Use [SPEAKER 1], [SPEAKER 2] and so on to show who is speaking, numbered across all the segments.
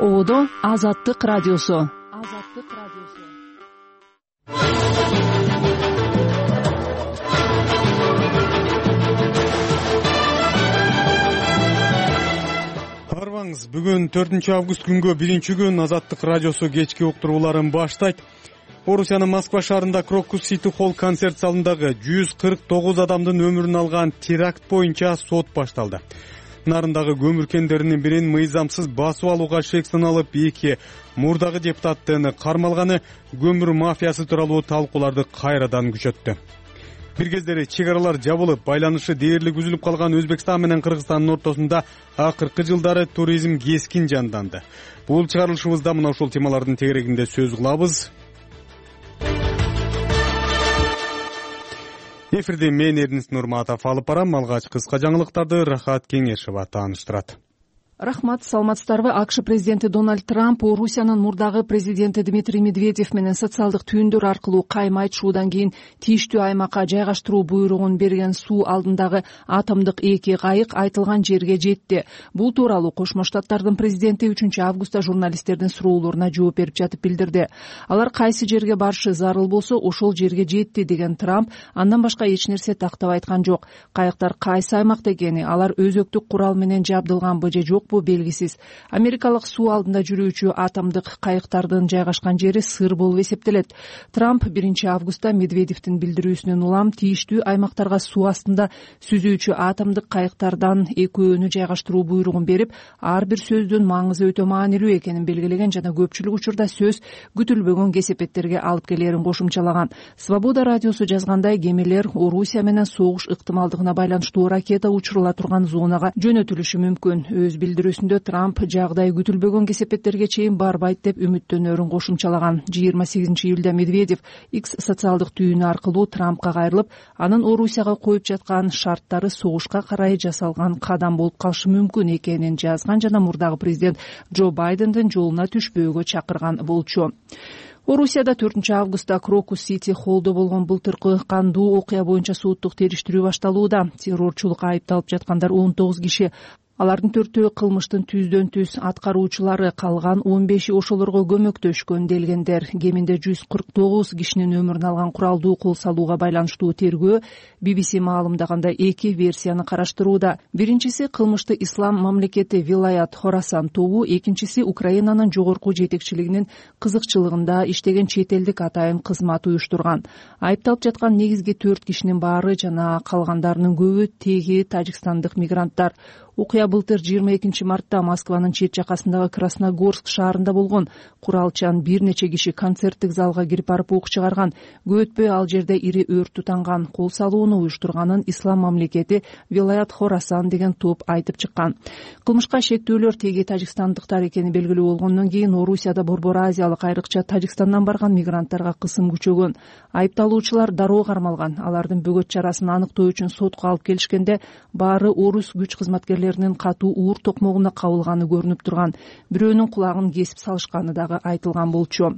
[SPEAKER 1] Ободо Азаттык радиосу.
[SPEAKER 2] Арбаңыз, бүгүн 4-август күнгө 1-күн Азаттык радиосу кечки уктурууларын баштайт. Орусиянын Москва шаарында Крокус Сити Холл концерт залындагы 149 адамдын өмүрүн алган теракт боюнча сот башталды. Нарындагы көмүр кендеринин бирин мыйзамсыз басып алууга шек саналып, 2 мурдагы депутаттын кармалганы көмүр мафиясы тууралуу талкууларды кайрадан күчөттү. Бир кездери чек аралар жабылып, байланышы дээрлик үзүлүп калган Өзбекстан менен Кыргызстандын ортосунда акыркы жылдары туризм кескин жанданды. Бул чыгарылышыбызда мына ушул темалардын тегерегинде сөз кылабыз. Эфирде мен Эрдинис Нурматов алып барам. Алгач кыска жаңылыктарды Рахат Кеңешова тааныштырат.
[SPEAKER 1] Рахмат, саламатсыздарбы? АКШ президенти Дональд Трамп Орусиянын мурдагы президенти Дмитрий Медведев менен социалдык түйүндөр аркылуу кайма айтышуудан кийин тийиштүү аймакка жайгаштыруу буйругун берген суу алдындагы атомдук 2 кайык айтылган жерге жетти. Бул тууралуу Кошмо Штаттардын президенти 3-августта журналисттердин суроолоруна жооп берип жатып билдирди. Алар кайсы жерге барышы зарыл болсо, ошол жерге жетти деген Трамп андан башка эч нерсе тактап айткан жок. Кайыктар кайсы аймакта экени, алар өзөктүк курал менен жабдылганбы же жок белгисиз. Америкалык суу алдында жүрүүчү атомдук кайыктардын жайгашкан жери сыр болуп эсептелет. Трамп 1-августта Медведевдин билдирүүсүнөн улам тийиштүү аймактарга суу астында сүзүүчү атомдук кайыктардан экөөнү жайгаштыруу буйругун берип, ар бир сөздүн маңызы өтө маанилүү экенин белгилеген жана көпчүлүк учурда сөз күтүлбөгөн кесепеттерге алып келерин кошумчалаган. Свобода радиосу жазгандай, кемелер Орусия менен согуш ыктымалдыгына байланыштуу ракета учурула турган зонага жөнөтүлүшү мүмкүн. Өз билдирүүсүндө Трамп жагдай күтүлбөгөн кесепеттерге чейин барбайт деп үмүттөнөрүн кошумчалаган. 28-июлда Медведев X социалдык түйүнү аркылуу Трампка кайрылып, анын Орусияга коюп жаткан шарттары согушка карай жасалган кадам болуп калышы мүмкүн экенин жазган жана мурдагы президент Джо Байдендин жолуна түшпөөгө чакырган болчу. Орусияда 4-августта Крокус Сити Холлдо болгон былтыркы кандуу окуя боюнча соттук териштирүү башталууда. Террорчулукка айыпталып жаткандар 19 киши. Алардын 4-өө кылмыштын түздөн-түз аткаруучулары, калган 15 ошолорго көмөктөшкөн делгендер. Кеминде 149 кишинин өмүрүн алган куралдуу кол салууга байланыштуу тергөө BBC маалымдагандай 2 версияны караштырууда. Биринчиси кылмышты ислам мамлекети Вилаят Хорасан тобу, экинчиси Украинанын жогорку жетекчилигинин кызыкчылыгында иштеген чет элдик атайын кызмат уюштурган. Айыпталып жаткан негизги 4 кишинин баары жана калгандарынын көбү теги тажикстандык мигранттар. Окуя былтыр 22 мартта Москванын чет жакасындагы Красногорск шаарында болгон. Куралчан бир нече киши концерттик залга кирип барып ок чыгарган. Көп өтпөй ал жерде ири өрт тутанган. Кол салууну уюштурганын ислам мамлекети Вилаят Хорасан деген топ айтып чыккан. Кылмышка шектүүлөр теги тажикстандыктар экени белгилүү болгондон кийин Орусияда Борбор Азиялык айрыкча Тажикстандан барган мигранттарга кысым күчөгөн. Айыпталуучулар дароо кармалган. Алардын бөгөт чарасын аныктоо үчүн сотко алып келишкенде, баары орус күч кызматкерлеринин катуу уур токмогуна кабылганы көрүнүп турган. Бирөөнүн кулагын кесип салышканы дагы айтылган болчу.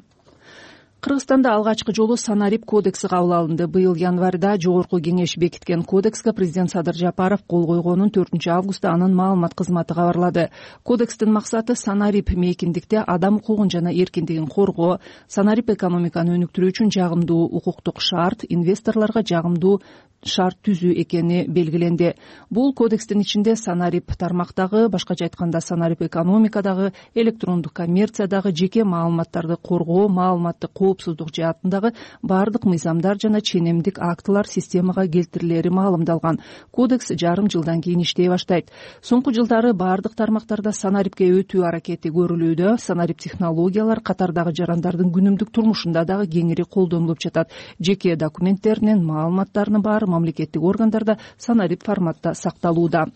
[SPEAKER 1] Кыргызстанда алгачкы жолу Санарип кодекси кабыл алынды. Быйыл январда жогорку кеңеш бекиткен кодекске президент Садыр Жапаров кол койгонун 4-августта анын маалымат кызматы кабарлады. Кодекстин максаты Санарип мейкиндикте адам укугун жана эркиндигин коргоо, Санарип экономиканы өнүктүрүү үчүн жагымдуу укуктук шарт, инвесторлорго жагымдуу шарт түзүү экени белгиленди. Бул кодекстин ичинде Санарип тармактагы, башкача айтканда Санарип экономикадагы, электрондук коммерциядагы жеке маалыматтарды коргоо, маалыматтык коопсуздук жаатындагы баардык мыйзамдар жана ченемдик актылар системага келтирилери маалымдалган. Кодекс жарым жылдан кийин иштей баштайт. Соңку жылдары баардык тармактарда Санарипке өтүү аракети көрүлүүдө. Санарип технологиялар катардагы жарандардын күнүмдүк турмушунда дагы кеңири колдонулуп жатат. Жеке документтеринин маалыматтарынын баары мамлекеттик органдарда Санарип форматта сакталууда.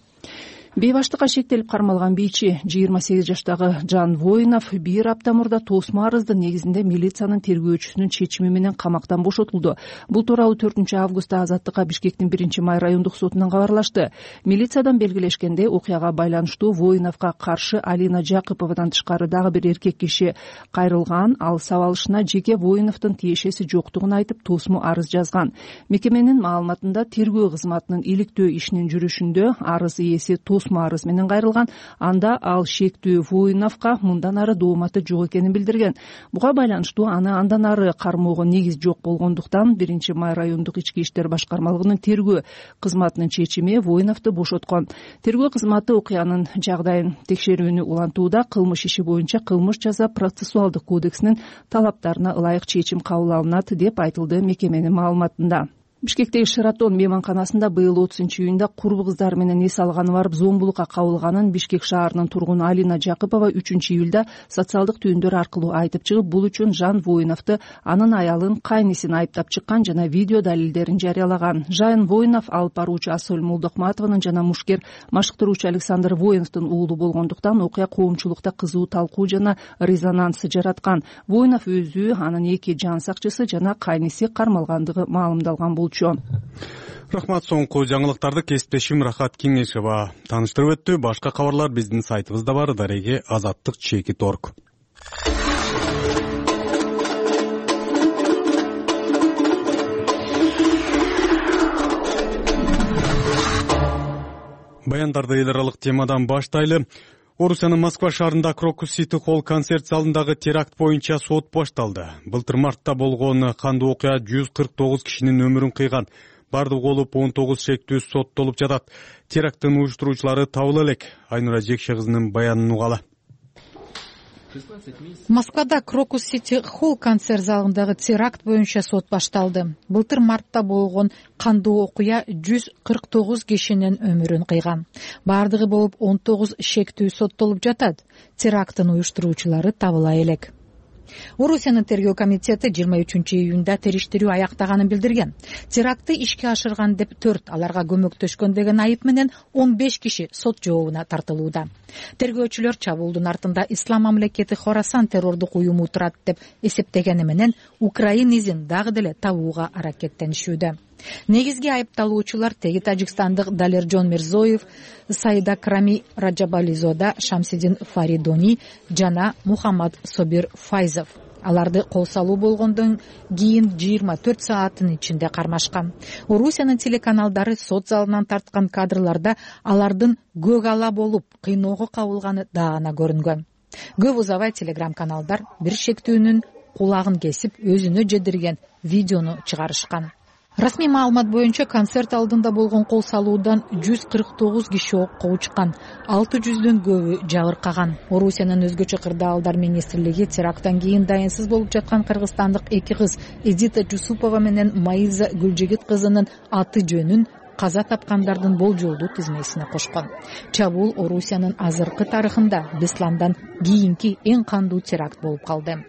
[SPEAKER 1] Бейбаштыкка шектелип кармалган бийчи 28 жаштагы Жан Воинов 1 апта мурда тосмо арыздын негизинде милициянын тергөөчүсүнүн чечими менен камактан бошотулду. Бул тууралуу 4-августта Азаттыкка Бишкектин 1-май райондук сотунан кабарлашты. Милициядан белгилешкендей, окуяга байланыштуу Воиновго каршы Алина Жакыповадан тышкары дагы бир эркек киши кайрылган. Ал сабалышына жеке Воиновдун тиешеси жоктугун айтып тосмо арыз жазган. Мекеменин маалыматында тергөө кызматынын иликтөө ишинин жүрүшүндө арыз ээси тосмо арыз менен кайрылган. Анда ал шектүү Воиновго мындан ары дооматы жок экенин билдирген. Буга байланыштуу аны андан ары кармоого негиз жок болгондуктан 1-Май райондук ички иштер башкармалыгынын тергөө кызматынын чечими Воиновду бошоткон. Тергөө кызматы окуянын жагдайын текшерүүнү улантууда. Кылмыш иши боюнча кылмыш жаза процессуалдык кодексинин талаптарына ылайык чечим кабыл алынат деп айтылды мекеменин маалыматында. Бишкектеги Шератон мейманканасында быйыл 30-июнда курбу кыздары менен эс алганы барып зомбулукка кабылганын Бишкек шаарынын тургуну Алина Жакыпова 3-июлда социалдык түйүндөр аркылуу айтып чыгып, бул үчүн Жан Воиновду, анын аялын, кайнисин айыптап чыккан жана видео далилдерин жарыялаган. Жан Воинов алып баруучу Асөл Молдокматованын жана мушкер машыктыруучу Александр Воиновдун уулу болгондуктан окуя коомчулукта кызуу талкуу жана резонанс жараткан. Воинов өзү, анын 2 жан сакчысы жана кайниси кармалгандыгы маалымдалган болчу.
[SPEAKER 2] Рахмат. Соңку жаңылыктарды кесиптешим Рахат Кеңешова тааныштырып өттү. Башка кабарлар биздин сайтыбызда бар. Дареге azаттык.org. Баяндарды эл аралык темадан баштайлы. Орусиянын Москва шаарында Крокус Сити Холл концерт залындагы теракт боюнча сот башталды. Былтыр мартта болгон кандуу окуя 149 кишинин өмүрүн кыйган. Бардыгы болуп 19 шектүү соттолуп жатат. Теракттын уюштуруучулары табыла элек. Айнура Жекше кызынын баянын угалы.
[SPEAKER 3] Москвада Крокус Сити Холл концерт залындагы теракт боюнча сот башталды. Былтыр мартта болгон кандуу окуя 149 кишинин өмүрүн кыйган. Бардыгы болуп 19 шектүү соттолуп жатат. Теракттын уюштуруучулары табыла элек. Орусиянын тергөө комитети 23-июнда териштирүү аяктаганын билдирген. Терактты ишке ашырган деп 4, аларга көмөктөшкөн деген айып менен 15 киши сот жообуна тартылууда. Тергөөчүлөр чабуулдун артында Ислам мамлекети Хорасан террордук уюму турат деп эсептегени менен Украин изин дагы деле табууга аракеттенишүүдө. Негизги айыпталуучулар теги тажикстандык Далержон Мирзоев, Саида Крами Раджабализода, Шамсидин Фаридони жана Мухаммад Собир Файзов. Аларды кол салуу болгондон кийин 24 сааттын ичинде кармашкан. Орусиянын телеканалдары сот залынан тарткан кадрларда алардын көк ала болуп кыйноого кабылганы даана көрүнгөн. Көп узабай телеграм-каналдар бир шектүүнүн кулагын кесип өзүнө жедирген видеону чыгарышкан. Расмий маалымат боюнча концерт алдында болгон кол салуудан 149 киши окко учкан, 600дөн көбү жабыркаган. Орусиянын өзгөчө кырдаалдар министрлиги теракттан кийин дайынсыз болуп жаткан кыргызстандык 2 кыз Эдита Жусупова менен Маиза Гүлжигит кызынын аты жөнүн каза тапкандардын болжолдуу тизмесине кошкон. Чабуул Орусиянын азыркы тарыхында Бесламдан кийинки эң кандуу теракт болуп калды.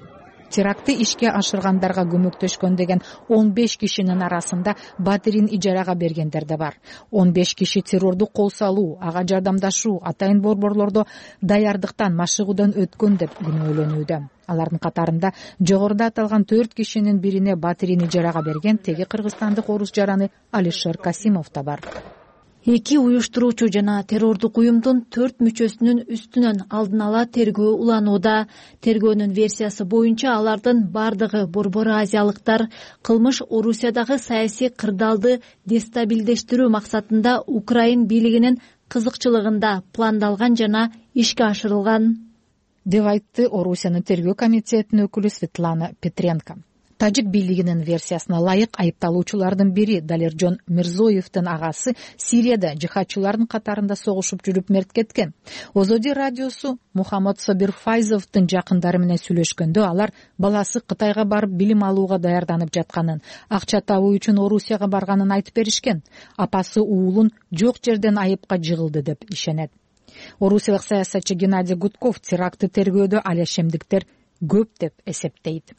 [SPEAKER 3] Терактты ишке ашыргандарга көмөктөшкөн деген 15 кишинин арасында батирин ижарага бергендер да бар. 15 киши террордук кол салуу, ага жардамдашуу, атайын борборлордо даярдыктан, машыгуудан өткөн деп күнөөлөнүүдө. Алардын катарында жогоруда аталган 4 кишинин бирине батирин ижарага берген теги кыргызстандык орус жараны Алишер Касимов да бар.
[SPEAKER 4] 2 уюштуруучу жана террордук уюмдун 4 мүчөсүнүн үстүнөн алдын ала тергөө уланууда. Тергөөнүн версиясы боюнча алардын бардыгы борбор азиялыктар кылмыш Орусиядагы саясий кырдаалды дестабилдештирүү максатында Украин бийлигинин кызыкчылыгында пландалган жана ишке ашырылган
[SPEAKER 3] деп айтты Орусиянын тергөө комитетинин өкүлү Светлана Петренко. Тажик бийлигинин версиясына ылайык айыпталуучулардын бири Далержон Мирзоевдин агасы Сирияда жихадчылардын катарында согушуп жүрүп мерт кеткен. Озоди радиосу Мухаммад Собир Файзовдун жакындары менен сүйлөшкөндө алар баласы Кытайга барып билим алууга даярданып жатканын, акча табуу үчүн Орусияга барганын айтып беришкен. Апасы уулун жок жерден айыпка жыгылды деп ишенет. Орусиялык саясатчы Геннадий Гудков терактты тергөөдө алешемдиктер көп деп эсептейт.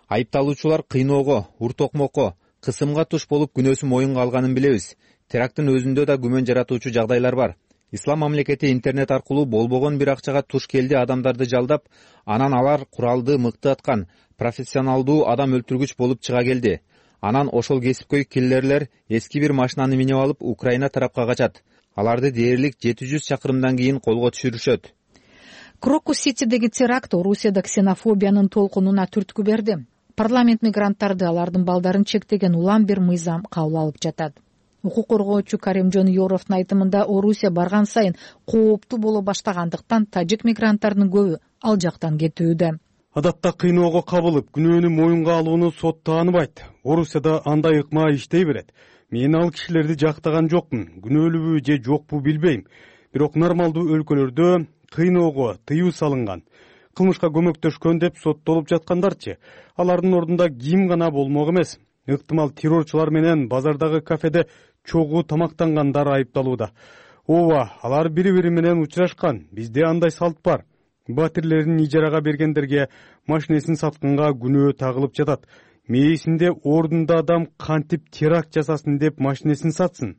[SPEAKER 5] Айыпталуучулар кыйноого, уртокмокко, кысымга туш болуп күнөөсү моюнга алганын билебиз. Теракттын өзүндө да күмөн жаратуучу жагдайлар бар. Ислам мамлекети интернет аркылуу болбогон бир акчага туш келди адамдарды жалдап, анан алар куралды мыкты аткан, профессионалдуу адам өлтүргүч болуп чыга келди. Анан ошол кесипкөй киллерлер эски бир машинаны минип алып Украина тарапка качат. Аларды дээрлик 700 чакырымдан кийин колго түшүрүшөт.
[SPEAKER 3] Крокус Ситидеги теракт Орусияда ксенофобиянын толкунуна түрткү берди. Парламент мигранттарды, алардын балдарын чектеген улам бир мыйзам кабыл алып жатат. Укук коргоочу Каримжон Юровдун айтымында Орусия барган сайын кооптуу боло баштагандыктан тажик мигранттарынын көбү ал жактан кетүүдө.
[SPEAKER 2] Адатта кыйноого кабылып, күнөөнү моюнга алууну сот тааныбайт. Орусияда андай ыкма иштей берет. Мен ал кишилерди жактаган жокмун. Күнөөлүүбү же жокпу билбейм. Бирок нормалдуу өлкөлөрдө кыйноого тыюу салынган. Кылмышка көмөктөшкөн деп соттолуп жаткандарчы. Алардын ордунда ким гана болмок эмес. Ыктымал террорчулар менен базардагы кафеде чогуу тамактангандар айыпталууда. Ооба, алар бири-бири менен учурашкан. Бизде андай салт бар. Батирлерин ижарага бергендерге машинесин сатканга күнөө тагылып жатат. Мээсинде ордунда адам кантип теракт жасасын деп машинесин сатсын.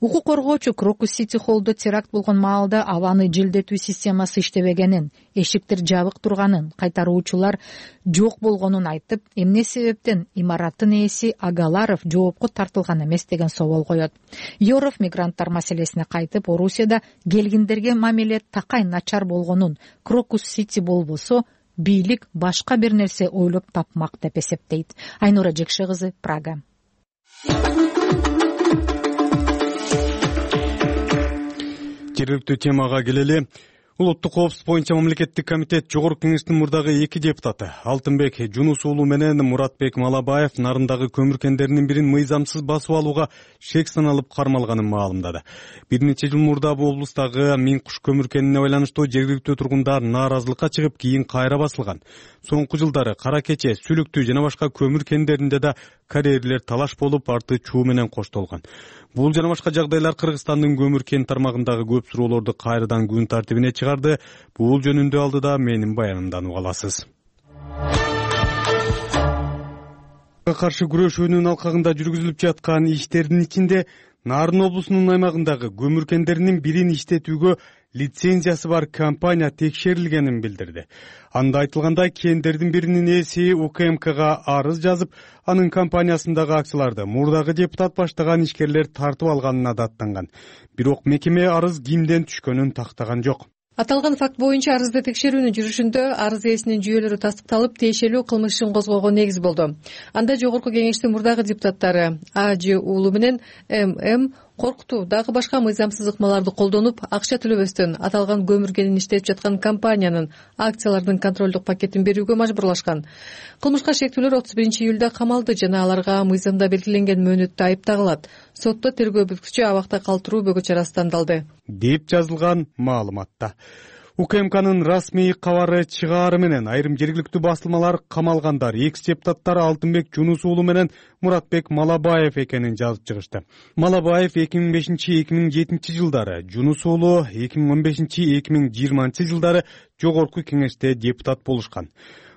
[SPEAKER 3] Укук коргоочу Крокус Сити Холлдо теракт болгон маалда абаны желдетүү системасы иштебегенин, эшиктер жабык турганын, кайтаруучулар жок болгонун айтып, эмне себептен имараттын ээси Агаларов жоопко тартылган эмес деген собол коет. Юров мигранттар маселесине кайтып, Орусияда келгиндерге мамиле такай начар болгонун, Крокус Сити болбосо бийлик башка бир нерсе ойлоп тапмак деп эсептейт. Айнура Жекше кызы, Прага.
[SPEAKER 2] Жергиликтүү темага келели. Улуттук коопсуздук боюнча мамлекеттик комитет Жогорку кеңештин мурдагы 2 депутаты Алтынбек Жунус уулу менен Муратбек Малабаев нарындагы көмүр кендеринин бирин мыйзамсыз басып алууга шек саналып кармалганын маалымдады. Бир нече жыл мурда бул облустагы Миң Куш көмүр кенине байланыштуу жергиликтүү тургундар нааразылыкка чыгып, кийин кайра басылган. Соңку жылдары Кара Кече, Сүлүктүү жана башка көмүр кендеринде да карьерлер талаш болуп, арты чуу менен коштолгон. Бул жана башка жагдайлар Кыргызстандын көмүр кен тармагындагы көп суроолорду кайрадан күн тартибине чыгарды. Бул жөнүндө алдыда менин баянымдан уга аласыз. Каршы күрөшүүнүн алкагында жүргүзүлүп жаткан иштердин ичинде Нарын облусунун аймагындагы көмүр кендеринин бирин иштетүүгө лицензиясы бар компания текшерилгенин билдирди. Анда айтылгандай, кендердин биринин ээси УКМКга арыз жазып, анын компаниясындагы акцияларды мурдагы депутат баштаган ишкерлер тартып алганына даттанган. Бирок мекеме арыз кимден түшкөнүн тактаган жок.
[SPEAKER 1] Аталган факт боюнча арызды текшерүүнүн жүрүшүндө арыз ээсинин жүйөлөрү тастыкталып, тиешелүү кылмыш ишин козгоого негиз болду. Анда Жогорку кеңештин мурдагы депутаттары АЖ уулу менен ММ коркутуу дагы башка мыйзамсыз ыкмаларды колдонуп, акча төлөбөстөн аталган көмүр кенин иштетип жаткан компаниянын акцияларынын контролдук пакетин берүүгө мажбурлашкан. Кылмышка шектүүлөр 31-июлда камалды жана аларга мыйзамда белгиленген мөөнөттө айып тагылат. Сотто тергөө бүткүчү абакта калтыруу бөгө чарасы тандалды,
[SPEAKER 2] деп жазылган маалыматта. УКМКнын расмий кабары чыгаары менен айрым жергиликтүү басылмалар камалгандар экс-депутаттар Алтынбек Жунус уулу менен Муратбек Малабаев экенин жазып чыгышты. Малабаев 2005-2007 жылдары, Жунус уулу 2015-2020 жылдары Жогорку кеңеште депутат болушкан.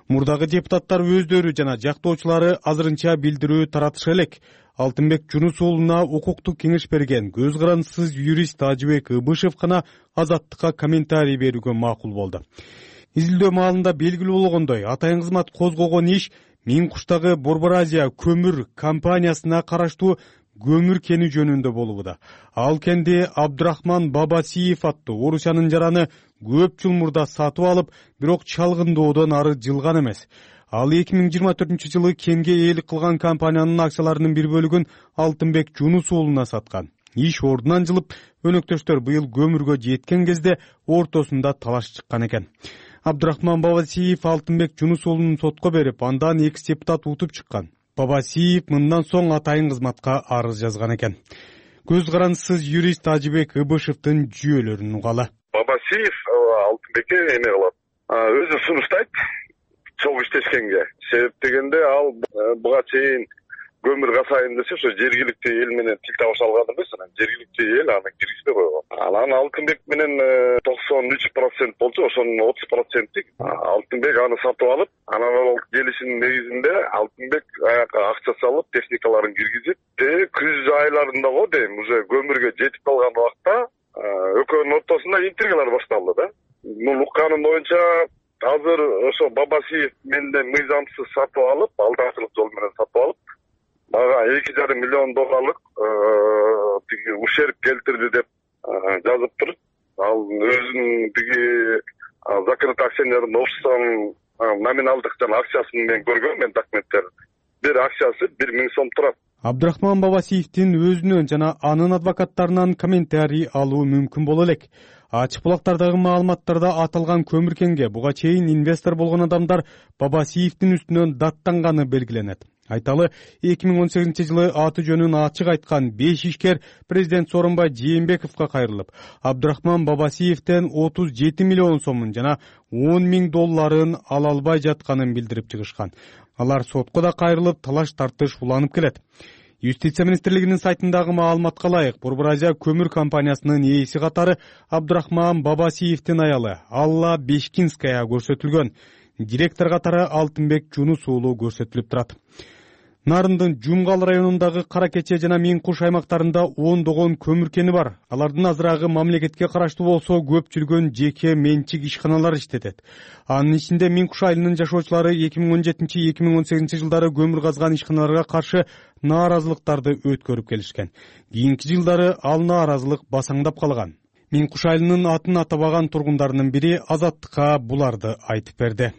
[SPEAKER 2] Мурдагы депутаттар өздөрү жана жактоочулары азырынча билдирүү таратышы элек. Алтынбек Жунус уулуна укуктук кеңеш берген көз карандысыз юрист Ажыбек Ыбышев гана Азаттыкка комментарий берүүгө макул болду. Изилдөө маалында белгилүү болгондой, атайын кызмат козгогон иш Миң Куштагы Борбор-Азия көмүр компаниясына караштуу көмүр кени жөнүндө болууда. Ал кенди Абдурахман Бабасиев аттуу Орусиянын жараны көп жыл мурда сатып алып, бирок чалгынdoодон ары жылган эмес. Ал 2024-жылы кенге ээлик кылган компаниянын акцияларынын бир бөлүгүн Алтынбек Жунус уулуна саткан. Иш ордунан жылып, өнөктөштөр быйыл көмүргө жеткен кезде ортосунда талаш чыккан экен. Абдурахман Бабасиев Алтынбек Жунус уулунун сотко берип, андан экс-депутат утуп чыккан. Бабасиев мындан соң атайын кызматка арыз жазган экен. Көз карандысыз юрист Ажыбек Ыбышевдин жүйөлөрүн угалы.
[SPEAKER 6] Бабасиев Алтынбекке эме кылат. Өзү сунуштайт чогуу иштешкенге. Себеп дегенде ал буга чейин көмүр касайын десе, ошо жергиликтүү эл менен тил табыша алган эмес, жергиликтүү эл аны киргизбей койгон. Анан Алтынбек менен 93% болчу, ошонун 30% Алтынбек аны сатып алып, анан ал келишимдин негизинде Алтынбек аяка акча салып, техникаларын киргизип, күз айларында го дейм, уже көмүргө жетип калган убакта экөөнүн ортосунда интригалар башталды да. Бул укканым боюнча азыр ошо Бабасиев менден мыйзамсыз сатып алып, алдамчылык жол менен сатып алып, мага $2,5 миллион ущерб келтирди деп жазып туруп, ал өзүнүн закрытый акционерный обществонун номиналдык жана акчасын мен көргөм, мен документтер. Бир акчасы 1 000 сом турат.
[SPEAKER 2] Абдрахман Бабасиевдин өзүнөн жана анын адвокаттарынан комментарий алуу мүмкүн боло элек. Ачык булактардагы маалыматтарда аталган көмүр кенге буга чейин инвестор болгон адамдар Бабасиевдин үстүнөн даттанганы белгиленет. Айталы, 2018-жылы аты жөнүн ачык айткан 5 ишкер президент Сооронбай Жээнбековго кайрылып, Абдрахман Бабасиевден 37 миллион сомун жана $10,000 ала албай жатканын билдирип чыгышкан. Алар сотко да кайрылып, талаш тартыш уланып келет. Юстиция министрлигинин сайтындагы маалыматка ылайык, Борбор Азия көмүр компаниясынын ээси катары Абдрахман Бабасиевдин аялы Алла Бешкинская көрсөтүлгөн. Директор катары Алтынбек Жунус уулу көрсөтүлүп турат. Нарындын Жумгал районундагы Кара Кече жана Миңкуш аймактарында ондогон көмүр кени бар. Алардын азырагы мамлекетке караштуу болсо, көпчүлүгүн жеке менчик ишканалар иштетет. Анын ичинде Миңкуш айылынын жашоочулары 2017-2018 жылдары көмүр казган ишканаларга каршы нааразылыктарды өткөрүп келишкен. Кийинки жылдары ал нааразылык басаңдап калган. Миңкуш айылынын атын атабаган тургундарынын бири Азаттыкка буларды айтып берди.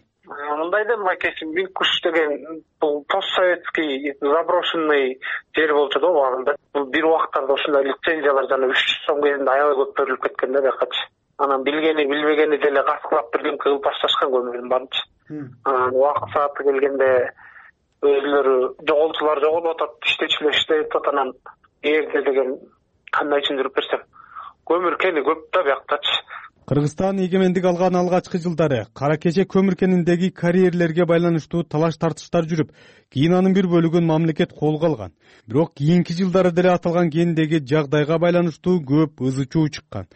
[SPEAKER 7] Мындай да макеси Миңкуш деген бул постсоветский заброшенный жер болчу да убагында. Бул бир убактарда ушундай лицензиялар жана 300 сом кезинде аябай көп берилип кеткен да бакачы. Анан билгени билбегени деле каскылап бирден кылып башташкан көмүрдүн баарынчы. Анан убакыт сааты келгенде өзүлөрү жоголчулар жоголуп атат, иштечилер иштеп атат. Анан эгерде деген кандай түшүндүрүп берсем, көмүр кени көп да биактачы.
[SPEAKER 2] Кыргызстан эгемендик алган алгачкы жылдары Кара Кече көмүр кениндеги карьерлерге байланыштуу талаш тартыштар жүрүп, кийин анын бир бөлүгүн мамлекет колго алган. Бирок кийинки жылдары деле аталган кендеги жагдайга байланыштуу көп ызы чуу чыккан.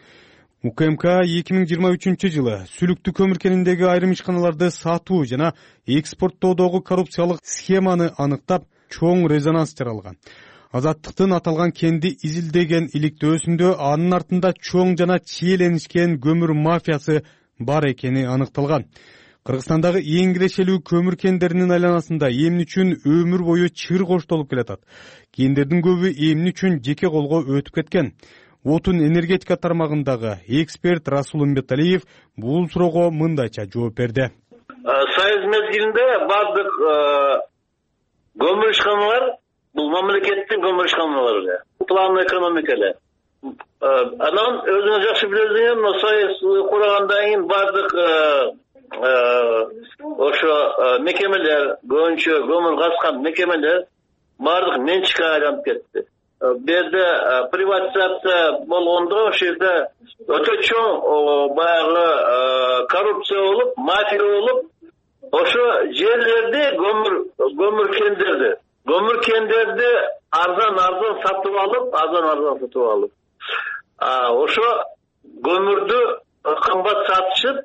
[SPEAKER 2] УКМК 2023 жылы Сүлүктүү көмүр кениндеги айрым ишканаларды сатуу жана экспорттоодогу коррупциялык схеманы аныктап, чоң резонанс жаралган. Азаттыктын аталган кенди изилдеген иликтөөсүндө анын артында чоң жана чиеленишкен көмүр мафиясы бар экени аныкталган. Кыргызстандагы эң кирешелүү көмүр кендеринин айланасында эмне үчүн өмүр бою чыр коштолуп келатат. Кендердин көбү эмне үчүн жеке колго өтүп кеткен. Отун энергетика тармагындагы эксперт Расул Умбеталиев бул суроого мындайча жооп берди.
[SPEAKER 8] Союз мезгилинде бардык көмүр ишканалар бул мамлекеттин көмүр ишканалары, план экономика эле. Анан өзүңүз жакшы билесиңер, мына Союз кургандан кийин бардык ошо мекемелер, көбүнчө көмүр казган мекемелер бардык менчикке айланып кетти. Бу жерде приватизация болгондо ошол жерде өтө чоң баягы коррупция болуп, мафия болуп, ошо жерлерди көмүр кендерди арзан сатып алып, ошо көмүрдү кымбат сатышып,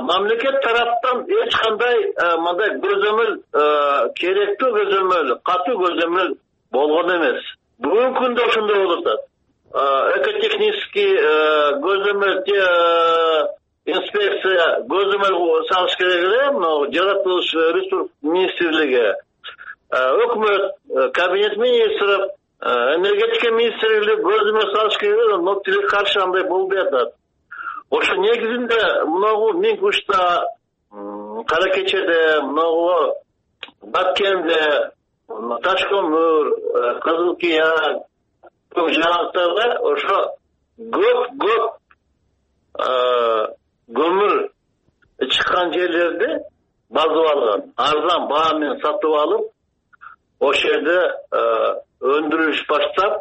[SPEAKER 8] мамлекет тараптан эч кандай мындай көзөмөл, керектүү көзөмөл, катуу көзөмөл болгон эмес. Бүгүнкү күндө ошондой болуп атат. Экотехнический көзөмөл, инспекция көзөмөл салыш керек эле, мына жаратылыш ресурс министрлиги, өкмөт, кабинет министров, энергетика министрлиги көзөмөл салыш керек, но тилекке каршы андай болбой атат. Ошо негизинде мынагу Миңкушта, Кара Кечеде, мынагу Баткенде, Таш көмүр, Кызыл Кия, көп жаңалыктарда ошо көп көмүр чыккан жерлерди базып алган, арзан баа менен сатып алып, ошол жерде өндүрүш баштап,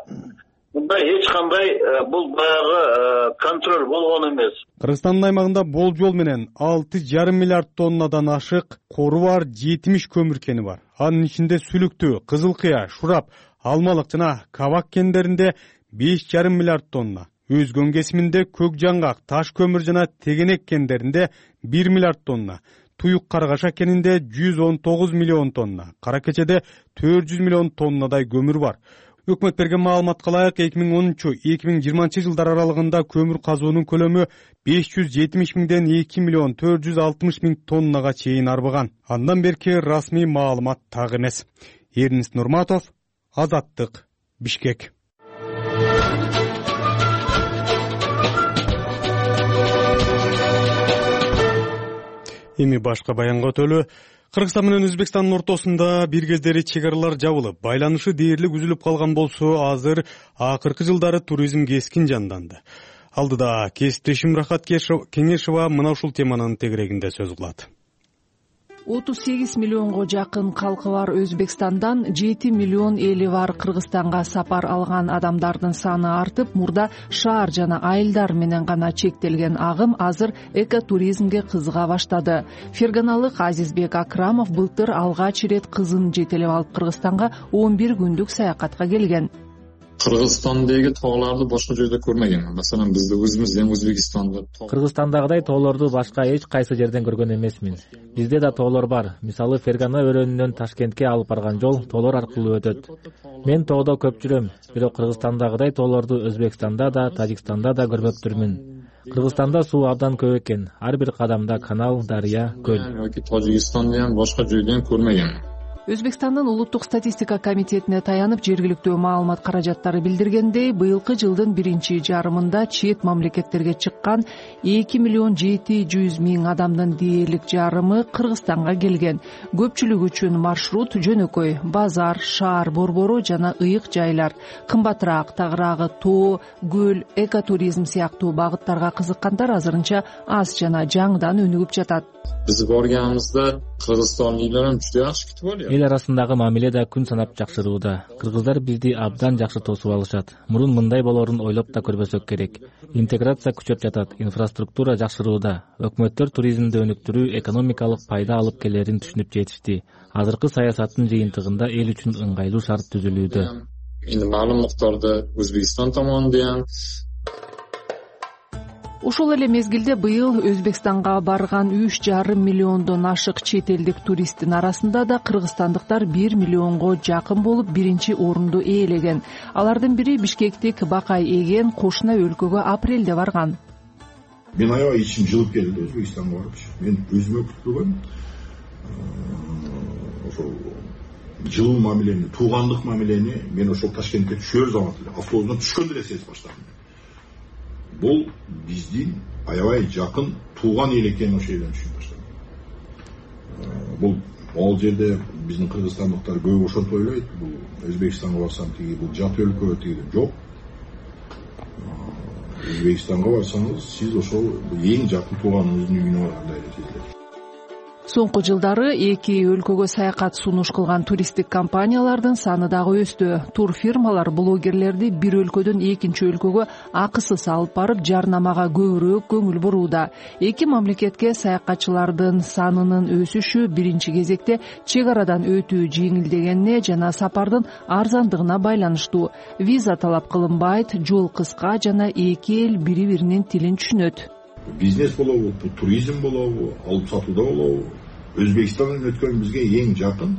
[SPEAKER 8] мында эч кандай бул баягы контроль болгон эмес.
[SPEAKER 2] Кыргызстандын аймагында болжол менен 6,5 миллиард тоннадан ашык кору бар 70 көмүр кени бар. Анын ичинде Сүлүктүү, Кызыл Кыя, Шурап, Алмалык жана Кабак кендеринде 5,5 миллиард тонна. Өзгөн кесиминде Көк Жаңгак, Таш көмүр жана Тегенек кендеринде 1 миллиард тонна. Туюк Каргаша кенинде 119 миллион тонна. Кара Кечеде 400 миллион тоннадай көмүр бар. Өкмөт берген маалыматка ылайык 2013-2020 жылдар аралыгында көмүр казуунун көлөмү 570 миңден 2 миллион 460 миң тоннага чейин арбыган. Андан берки расмий маалымат так эмес. Эрнис Нурматов, Азаттык, Бишкек. Эми башка баянга өтөлү. Кыргызстан менен Өзбекстандын ортосунда бир кездери чек аралар жабылып, байланышы дээрлик үзүлүп калган болсо, азыр акыркы жылдары туризм кескин жанданды. Алдыда кесиптешим Рахат Кеңешова мына ушул теманын тегерегинде сөз кылат.
[SPEAKER 1] 38 миллионго жакын калкы бар Өзбекстандан 7 миллион эли бар Кыргызстанга сапар алган адамдардын саны артып, мурда шаар жана айылдар менен гана чектелген агым азыр экотуризмге кызыга баштады. Ферганалык Азизбек Акрамов былтыр алгач ирет кызын жетелеп алып Кыргызстанга 11 күндүк саякатка келген.
[SPEAKER 9] Кыргызстандагы тоолорду башка жерде көрмөгөн. Маселен, бизде өзүбүздөн Өзбекстанда
[SPEAKER 10] Кыргызстандагыдай тоолорду башка эч кайсы жерден көргөн эмесмин. Бизде да тоолор бар. Мисалы, Фергана өрөөнүнөн Ташкентке алып барган жол тоолор аркылуу өтөт. Мен тоодо көп жүрөм, бирок Кыргызстандагыдай тоолорду Өзбекстанда да, Тажикстанда да көрмөптүрмүн. Кыргызстанда суу абдан көп экен. Ар бир кадамда канал, дарыя, көл.
[SPEAKER 9] Тажикстанда башка жерден көрмөгөн.
[SPEAKER 1] Өзбекстандын улуттук статистика комитетине таянып, жергиликтүү маалымат каражаттары билдиргендей, быйылкы жылдын биринчи жарымында чет мамлекеттерге чыккан 2 миллион 700 миң адамдын дээрлик жарымы Кыргызстанга келген. Көпчүлүк үчүн маршрут жөнөкөй: базар, шаар борбору жана ыйык жайлар. Кымбатыраак, тагыраагы тоо, көл, экотуризм сыяктуу багыттарга кызыккандар азырынча аз жана жаңыдан өнүгүп жатат.
[SPEAKER 9] Биз барганыбызда кыргызстандыктар juda yaxshi kutib olýar.
[SPEAKER 10] Эл арасындагы мамиле да күн санап жакшырууда. Кыргыздар бизди абдан жакшы тосуп алышат. Мурун мындай болорун ойлоп да көрбөсөк керек. Интеграция күчөп жатат, инфраструктура жакшырууда. Өкмөттөр туризмди өнүктүрүү экономикалык пайда алып келерин түшүнүп жетишти. Азыркы саясаттын жыйынтыгында эл үчүн ыңгайлуу шарт түзүлүүдө.
[SPEAKER 9] Эми маалым муктарда Өзбекстан tomonidan
[SPEAKER 1] Ошол эле мезгилде быйыл Өзбекстанга барган 3,5 миллиондон ашык чет элдик туристтин арасында да кыргызстандыктар 1 миллионго жакын болуп, биринчи орунду ээлеген. Алардын бири бишкектик Бакай Эген кошуна өлкөгө апрелде барган.
[SPEAKER 11] Мен аябай ичим жылып келди Өзбекстанга барып. Мен өзүмө күтпөгөн ошол жылуу мамилени, туугандык мамилени мен ошол Ташкентке түшөр замат эле автобустан түшкөндө эле сезип баштадым. Бул биздин аябай жакын тууган эл экенин ошол жерден түшүнүп баштадым. Бул ал жерде биздин кыргызстандыктар көп ошентип ойлойт. Бул Өзбекстанга барсам тиги бул жат өлкө тиги жок. Өзбекстанга барсаңыз сиз ошол эң жакын тууганыңыздын үйүнө баргандай эле сезилет.
[SPEAKER 1] Соңку жылдары эки өлкөгө саякат сунуш кылган туристтик компаниялардын саны дагы өстү. Тур фирмалар блогерлерди бир өлкөдөн экинчи өлкөгө акысыз алып барып, жарнамага көбүрөөк көңүл бурууда. Эки мамлекетке саякатчылардын санынын өсүшү биринчи кезекте чек арадан өтүү жеңилдегенине жана сапардын арзандыгына байланыштуу. Виза талап кылынбайт, жол кыска жана эки эл бири-биринин тилин түшүнөт.
[SPEAKER 11] Бизнес болобу, туризм болобу, алып сатууда болобу, Өзбекстандан өткөн бизге эң жакын,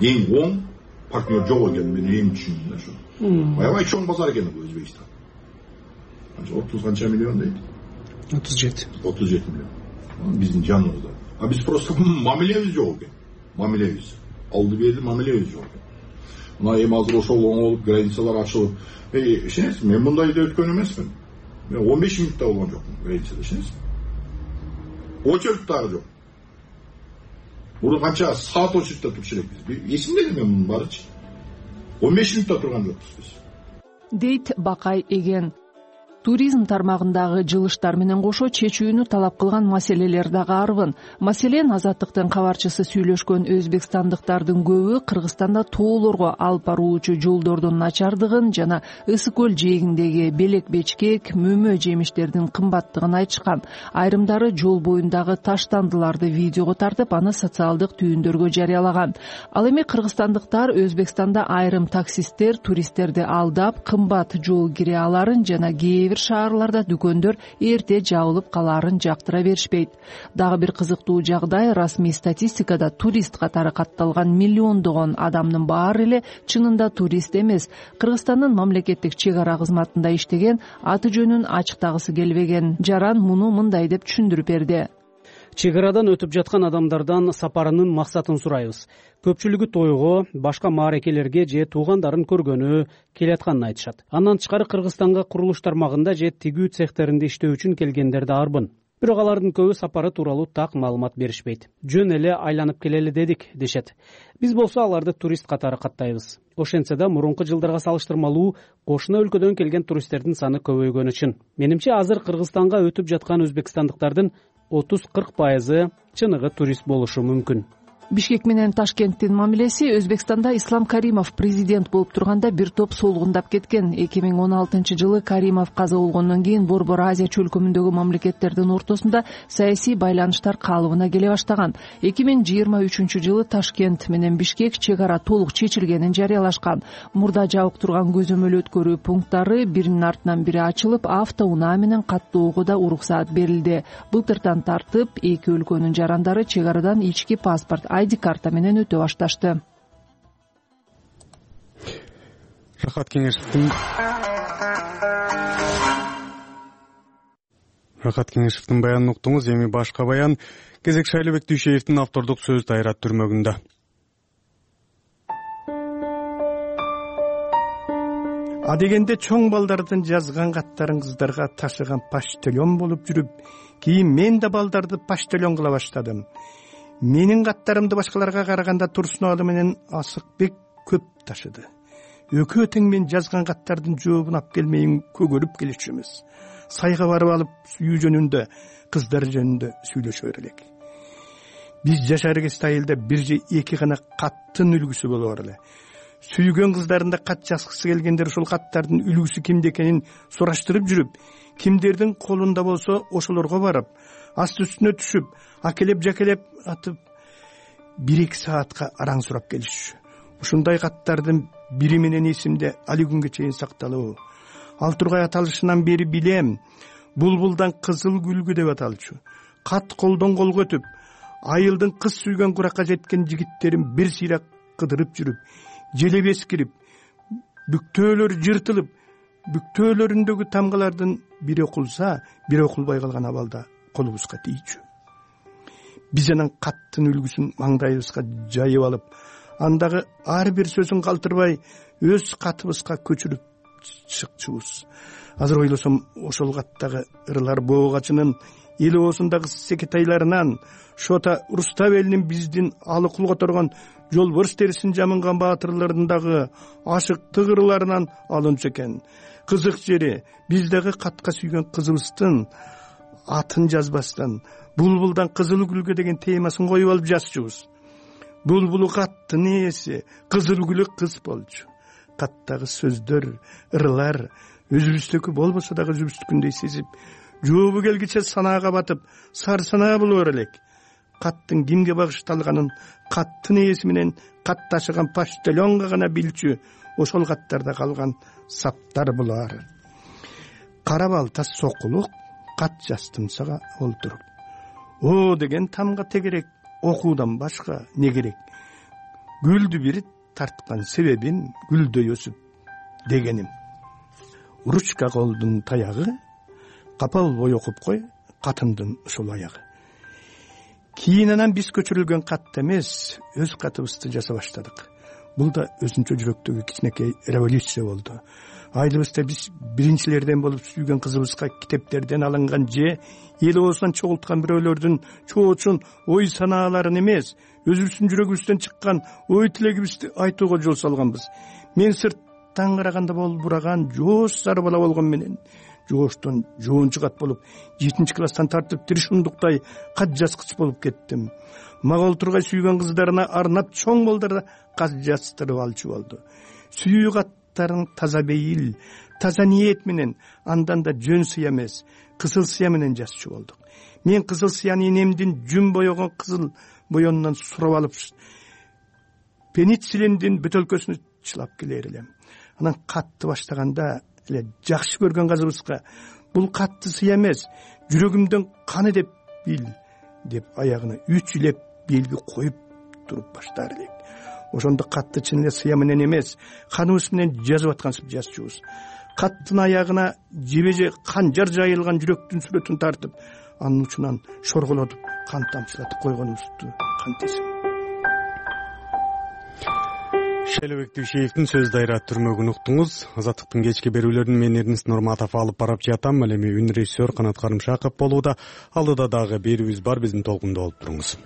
[SPEAKER 11] эң оң партнер жок экен, мен эң түшүндүм ошо. Аябай чоң базар экен бул Өзбекстан. 30 канча миллион дейт?
[SPEAKER 2] 37
[SPEAKER 11] миллион. Биздин жаныбызда. А биз просто мамилебиз жок экен. Мамилебиз. Алды берди мамилебиз жок экен. Мына эми азыр ошол оңолуп, границалар ачылып. Ишенесизби, мен мындайда өткөн эмесмин. Мен 15 минутта болгон жокмун границада, ишенесизби? Очередь дагы жок. Мурун канча саат очередьте турчу элекпиз. Эсимде эле мен мунун баарычы. 15 минутта турган жокпуз биз.
[SPEAKER 1] Дейт Бакай Эген. Туризм тармагындагы жылыштар менен кошо чечүүнү талап кылган маселелер дагы арбын. Маселен, Азаттыктын кабарчысы сүйлөшкөн өзбекстандыктардын көбү Кыргызстанда тоолорго алып баруучу жолдордун начардыгын жана Ысык көл жээгиндеги белек-бечкек, мөмө жемиштердин кымбаттыгын айтышкан. Айрымдары жол боюндагы таштандыларды видеого тартып, аны социалдык түйүндөргө жарыялаган. Ал эми кыргызстандыктар Өзбекстанда айрым таксисттер туристтерди алдап, кымбат жол кире аларын жана бир шаарларда дүкөндөр эрте жабылып калаарын жактыра беришпейт. Дагы бир кызыктуу жагдай, расмий статистикада турист катары катталган миллиондогон адамдын баары эле чынында турист эмес. Кыргызстандын мамлекеттик чек ара кызматында иштеген, аты жөнүн ачыктагысы келбеген Жаран муну мындай деп түшүндүрүп берди.
[SPEAKER 12] Чек арадан өтүп жаткан адамдардан сапарынын максатын сурайбыз. Көпчүлүгү тойго, башка маарекелерге же туугандарын көргөнү келатканын айтышат. Андан тышкары Кыргызстанга курулуш тармагында же тигүү цехтеринде иштөө үчүн келгендер да арбын. бирок алардын көбү сапары тууралуу так маалымат беришпейт. Жөн эле айланып келели дедик дешет. Биз болсо аларды турист катары каттайбыз. Ошентсе да мурунку жылдарга салыштырмалуу кошуна өлкөдөн келген туристтердин саны көбөйгөнү чын. Менимче азыр Кыргызстанга өтүп жаткан өзбекстандыктардын 30-40% чыныгы турист болушу мүмкүн.
[SPEAKER 1] Бишкек менен Ташкенттин мамилеси Өзбекстанда Ислам Каримов президент болуп турганда бир топ солгундап кеткен. 2016-жылы Каримов каза болгондон кийин Борбор Азия чөлкөмүндөгү мамлекеттердин ортосунда саясий байланыштар калыбына келе баштаган. 2023-жылы Ташкент менен Бишкек чек ара толук чечилгенин жарыялашкан. Мурда жабык турган көзөмөл өткөрүү пункттары биринин артынан бири ачылып, автоунаа менен каттоого да уруксаат берилди. Былтырдан тартып эки өлкөнүн жарандары чек арадан ички паспорт ID карта менен өтө башташты.
[SPEAKER 2] Рахат Кеңешевдин баянын уктуңуз. Эми башка баян. Кезек Шайлообек Дүйшеевдин автордук сөз дайрат түрмөгүндө.
[SPEAKER 13] Адегенде чоң балдардын жазган каттарын кыздарга ташыган почтальон болуп жүрүп, кийин мен да балдарды почтальон кыла баштадым. Менин каттарымды башкаларга караганда Турсуновалы менен Асыкбек көп ташыды. Экөө тең мен жазган каттардын жообун алып келмейин көгөрүп келишчүбүз. Сайга барып алып сүйүү жөнүндө, кыздар жөнүндө сүйлөшөр элек. Биз жашар кезде айылда бир же эки гана каттын үлгүсү болор эле. Сүйгөн кыздарында кат жазгысы келгендер ушул каттардын үлгүсү кимде экенин сураштырып жүрүп, кимдердин колунда болсо ошолорго барып, асты үстүнө түшүп, акелеп жакелеп атып 1-2 саатка араң сурап келишчү. Ушундай каттардын бири менен эсимде али күнгө чейин сакталуу. Ал тургай аталышынан бери билем. Булбулдан кызыл гүлгү деп аталчу. Кат колдон колго өтүп, айылдын кыз сүйгөн куракка жеткен жигиттерин бир сыйрак кыдырып жүрүп, желебес кирип, бүктөөлөр жыртылып, бүктөөлөрүндөгү тамгалардын бири окулса, бири окулбай калган абалда колубузга тийчү. Биз анан каттын үлгүсүн маңдайыбызга жайып алып, андагы ар бир сөзүн калтырбай өз катыбызга көчүрүп чыкчубуз. Азыр ойлосом, ошол каттагы ырлар боогачынын эл оосундагы секетайларынан, Шота Рустав элинин биздин алы кул которгон жолборс терисин жамынган баатырларындагы ашыктык ырларынан алынчу экен. Кызык жери, биздеги катка сүйгөн кызыбыздын атын жазбастан булбулдан кызыл гүлгө деген темасын коюп алып жазчубуз. Булбулу каттын ээси, кызыл гүлү кыз болчу. Каттагы сөздөр, ырлар өзүбүздөгү болбосо дагы өзүбүздүкүндөй сезип, жообу келгиче санаага батып, сар санаа болор элек. Каттын кимге багышталганын каттын ээси менен кат ташыган почтальонго гана билчү, ошол каттарда калган саптар булар. Кара балта сокулук кат жаздымсага олтуруп. О деген тамга тегерек, окуудан башка не керек? Гүлдү бир тарткан себебим гүлдөй өсүп дегеним. Ручка колдун таягы, капа болбой окуп кой катымдын ушул аягы. Кийин анан биз көчүрүлгөн кат эмес, өз катыбызды жаса баштадык. Бул да өзүнчө жүрөктөгү кичинекей революция болду. Айылыбызда биз биринчилерден болуп сүйгөн кызыбызга китептерден алынган же эл оосунан чогулткан бирөөлөрдүн чоочун ой санааларын эмес, өзүбүздүн жүрөгүбүздөн чыккан ой тилегибизди айтууга жол салганбыз. Мен сырттан караганда болбураган жоош сары бала болгон менен жооштон жоончу кат болуп, 7 класстан тартып тиришундуктай кат жазгыч болуп кеттим. Мага олтургай сүйгөн кыздарына арнап чоң балдарда кат жаздырып алчу болду. Сүйүү каттарын таза бейил, таза ниет менен, андан да жөн сыя эмес, кызыл сыя менен жазчу болдук. Мен кызыл сыяны энемдин жүн боёгон кызыл боёнунан сурап алып, пенициллиндин бөтөлкөсүнө чылап келер элем. Анан катты баштаганда эле жакшы көргөн кызыбызга бул катты сыя эмес, жүрөгүмдөн каны деп бил деп аягына 3 илеп белги коюп туруп баштар элек. Ошондо катты чын эле сыя менен эмес, каныбыз менен жазып аткансып жазчубуз. Каттын аягына жебеже канжар жайылган жүрөктүн сүрөтүн тартып, анын учунан шорголотуп, кан тамчылатып койгонубузду кантесиң.
[SPEAKER 2] Шайлообек Дүйшеевдин сөз дайра түрмөгүн уктуңуз. Азаттыктын кечки берүүлөрүн мен Эрнест Нурматов алып барып жатам. Ал эми үн режиссер Канат Карымшаков болууда. Алдыда дагы берүүбүз бар, биздин толкунда болуп туруңуз.